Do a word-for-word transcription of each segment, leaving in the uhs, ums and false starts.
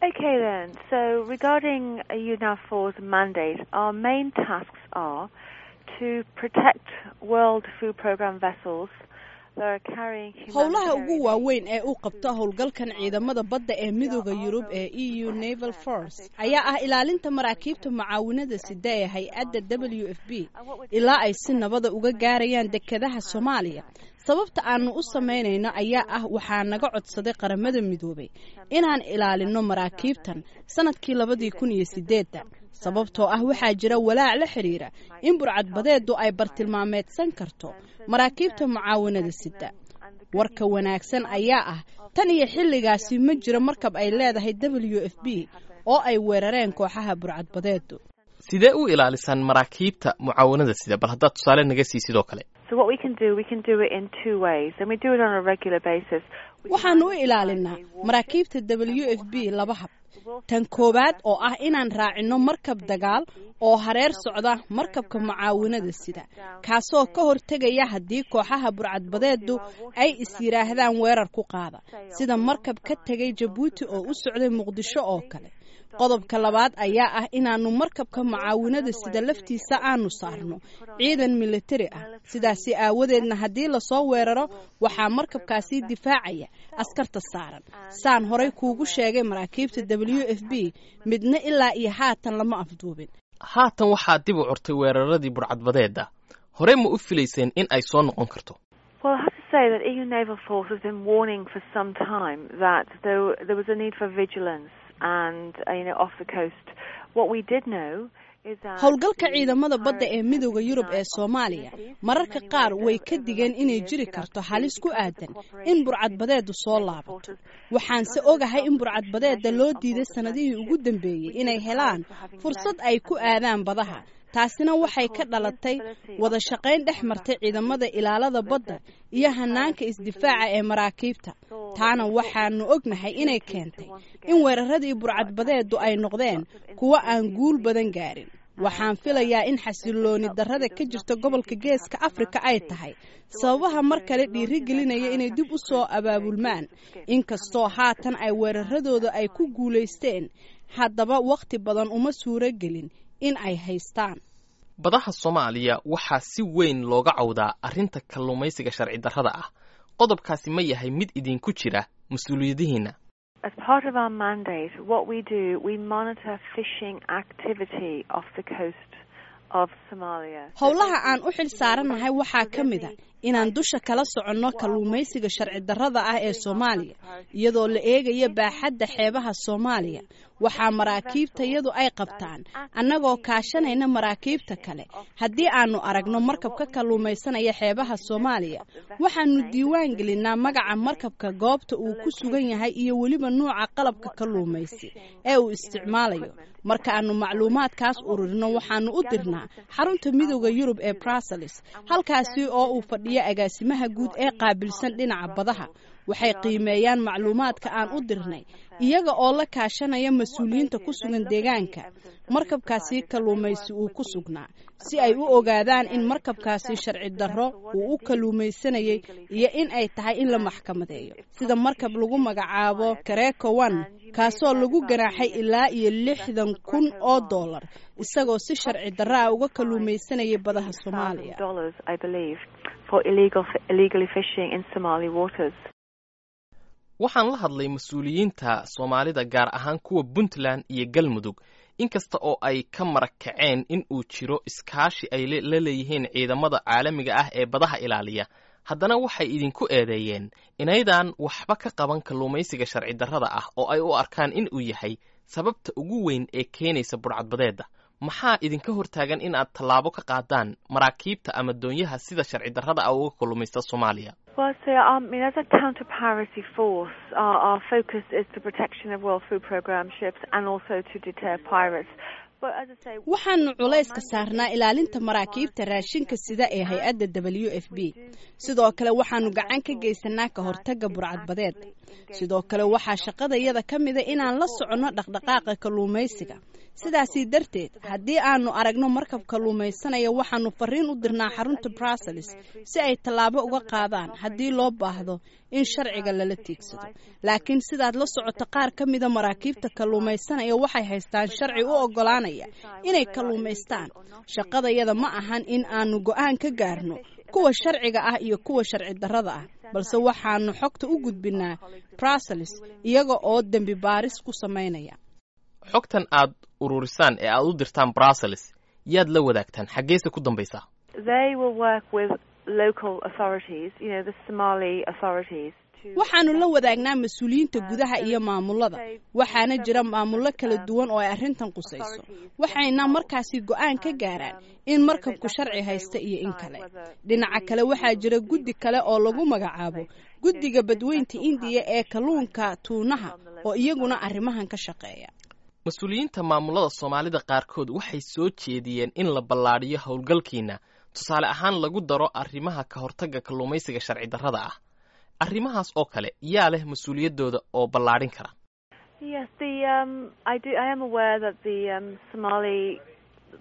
Okay then, so regarding EUNAVFOR's mandate, our main tasks are to protect World Food Programme vessels. Howlaha ugu waaweyn ee u qabta howlgalkan ciidamada badda ee Midooda Yurub ee E U Naval Force ayaa ah ilaalinta maraakiibta mucaawinada sida ee hay-adda W F P ilaa ay si nabada uga gaarayaan dekedaha Soomaaliya. Sababta aanu u samaynayno ayaa ah waxaa naga codsaday Qaramada Midoobay inaan ilaalino maraakiibtan sanadkii labadii kun iyo sideedda, sababtoo ah waxaa jira walaac la xiriira in burcadbadeedu ay bartilmaameedsan karto maraakiibta mucaawinada sida. Warka wanaagsan ayaa ah tan iyo xilligaasi ma jiro markab ay leedahay W F P oo ay weerareen kooxaha burcadbadeedu. Sidee u ilaalisaan maraakiibta mucaawanada sida? Bal haddaad tusaale naga sii sidoo kale. Waxaanu u ilaalinaa maraakiibta W F P laba hab. Tan koowaad oo ah inaan raacinno markab dagaal oo hareer socda markabka mucaawinada sida, kaasoo ka hortegaya haddii kooxaha burcadbadeedu ay is yidhaahdaan weerar ku qaada, sida markab ka tegay Jabuuti oo u socday Muqdisho oo kale. Qodobka labaad ayaa ah inaannu markabka mucaawinada sida laftiisa aanu saarno ciidan militari ah. Sidaasi aawadeedna haddii lasoo weeraro, waxaa markabkaasi difaacaya askarta saaran. Saan horay kuugu sheegay, maraakiibta W F P midna ilaa iyo haatan lama afduubin. Haatan waxaa dib u curtay weeraradii burcadbadeedda. Hore ma u filayseen in ay soo noqon karto? Well, I have to say that E U Naval Force has been warning for some time that there, there was a need for vigilance and, uh, you know, off the coast. What we did know. Howlgalka ciidamada badda ee Midooda Yurub ee Soomaaliya mararka qaar way ka digeen inay jiri karto halis ku aadan in burcadbadeedu soo laabato. Waxaanse ogahay in burcadbadeeda loo diiday sanadihii ugu dambeeyey inay helaan fursad ay ku aadaan badaha. Taasina waxay ka dhalatay wada shaqayn dhex martay ciidamada ilaalada badda iyo hanaanka isdifaaca ee maraakiibta. Taana waxaanu ognahay inay keentay in weeraradii burcadbadeedu ay noqdeen kuwo aan guul badan gaarin. Waxaan filayaa in xasilooni darrada ka jirta gobolka Geeska Afrika ay tahay sababaha mar kale dhiirigelinaya inay dib u soo abaabulmaan. Inkastoo haatan ay weeraradooda ay ku guulaysteen, haddaba wakhti badan uma suuro gelin in ay haystaan. Badaha Soomaaliya waxaa si weyn looga cawdaa arrinta kalluumaysiga sharci darrada ah. Qodobkaasi ma yahay mid idinku jira mas-uuliyadihiinna? As part of our mandate, what we do, we monitor fishing activity off the coast of Somalia. Howlaha aan u xil saarannahay waxaa ka mid a inaan dusha kala soconno kalluumaysiga sharci darrada ah ee Soomaaliya, iyadoo la eegayo baaxadda xeebaha Soomaaliya. Waxaa maraakiibtayadu ay qabtaan, annagoo kaashanayna maraakiibta kale, haddii aanu aragno markab ka kalluumaysanaya xeebaha Soomaaliya, waxaanu diiwaan gelinnaa magaca markabka, goobta uu ku sugan yahay iyo weliba nuuca qalabka kalluumaysi ee uu isticmaalayo. Marka aanu macluumaadkaas ururino, waxaanu u dirnaa xarunta Midooda Yurub ee Brussels, halkaasi oo uu fadhiyo agaasimaha guud ee qaabilsan dhinaca badaha. Waxay qiimeeyaan macluumaadka aan u dirnay, iyaga oo la kaashanaya mas-uuliyiinta ku sugan deegaanka markabkaasi kalluumaysi uu ku sugnaa, si ay u ogaadaan in markabkaasi sharci darro uu u kalluumaysanayay iyo in ay tahay in la maxkamadeeyo, sida markab lagu magacaabo Kareco One, kaasoo lagu ganaaxay ilaa iyo lixdan kun oo dollar, isagoo si sharci darro ah uga kalluumaysanayay badaha Soomaaliya. Dollars, I believe, for illegal, illegally fishing in Somali waters. Waxaan la hadlay mas-uuliyiinta Soomaalida, gaar ahaan kuwa Puntland iyo Galmudug. Inkasta oo ay ka marag kaceen in uu jiro iskaashi ay la leeyihiin ciidamada caalamiga ah ee badaha ilaaliya, haddana waxay idinku eedeeyeen inaydaan waxba ka qaban kalluumaysiga sharci darrada ah, oo ay u arkaan in uu yahay sababta ugu weyn ee keenaysa burcadbadeedda. Maxaa idinka hortaagan in aad tallaabo ka qaadaan maraakiibta ama doonyaha sida sharci darrada ah uga kalluumaysta Soomaaliya? Well, so um, I mean, as a counter-piracy force, our, our focus is the protection of World Food Programme ships and also to deter pirates. But as I say, Waxaanu culayska saarnaa ilaalinta maraakiibta raashinka sida ee hay-adda W F P. Sidoo kale waxaanu gacan ka geysanaa ka hortagga burcadbadeed. Sidoo kale waxaa shaqadayada ka mida inaan la soconno dhaqdhaqaaqa kalluumaysiga. Sidaasi darteed, haddii aanu aragno markab kalluumaysanaya, waxaanu fariin u dirnaa xarunta Brussels si ay tallaabo uga qaadaan haddii loo baahdo in sharciga lala tiigsado. Laakiin sidaad la socoto, qaar ka mida maraakiibta kalluumaysanaya waxay haystaan sharci u oggolaanaya inay kalluumaystaan. Shaqadayada ma ahan in aanu go'aan ka gaarno kuwa sharciga ah iyo kuwa sharci darrada ah, balse waxaanu xogta u gudbinaa Brussels iyaga oo dembi baaris ku samaynaya. Xogtan aad ururisaan ee aad u dirtaan Brussels, yaad la wadaagtaan? Xaggeese ku dambaysaa? They will work with local authorities, you know, the Somali authorities. Waxaanu la wadaagnaa mas-uuliyiinta gudaha iyo maamulada. Waxaana jira maamullo kala duwan oo ay arrintan qusayso, waxayna markaasi go'aan ka gaaraan in markabku sharci haysta iyo in kale. Dhinaca kale, waxaa jira guddi kale oo lagu magacaabo Guddiga Badweynta Indiya ee Kalluunka Tuunaha oo iyaguna arrimahan ka shaqeeya. Mas-uuliyiinta maamulada Soomaalida qaarkood waxay soo jeediyeen in la ballaadhiyo howlgalkiina, tusaale ahaan lagu daro arrimaha ka hortagga kalluumaysiga sharci darrada ah. Arrimahaas oo kale yaa leh mas-uuliyaddooda oo ballaadhin kara? Yes, the um, I do. I am aware that the um, Somali,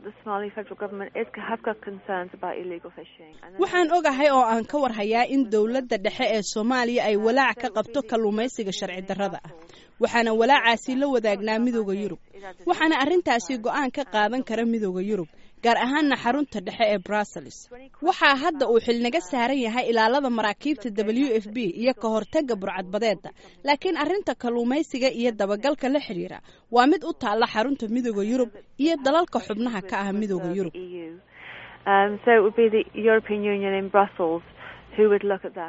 the Somali federal government is have got concerns about illegal fishing. And then Waxaan ogahay oo aan ka warhayaa in dowladda dhexe ee Soomaaliya ay walaac ka qabto kalluumaysiga sharci darrada ah, waxaana walaacaasi la wadaagnaa Midooda Yurub, waxaana arrintaasi go'aan ka qaadan kara Midooda Yurub, gaar ahaana xarunta dhexe ee Brussels. Waxaa hadda uu xilnaga saaran yahay ilaalada maraakiibta W F P iyo ka hortagga burcadbadeeda, laakiin arrinta kalluumaysiga iyo dabagalka la xiriira waa mid u taalla xarunta Midooda Yurub iyo dalalka xubnaha ka ah Midooda Yurub. E U. Um, so it would be the European Union in Brussels who would look at that.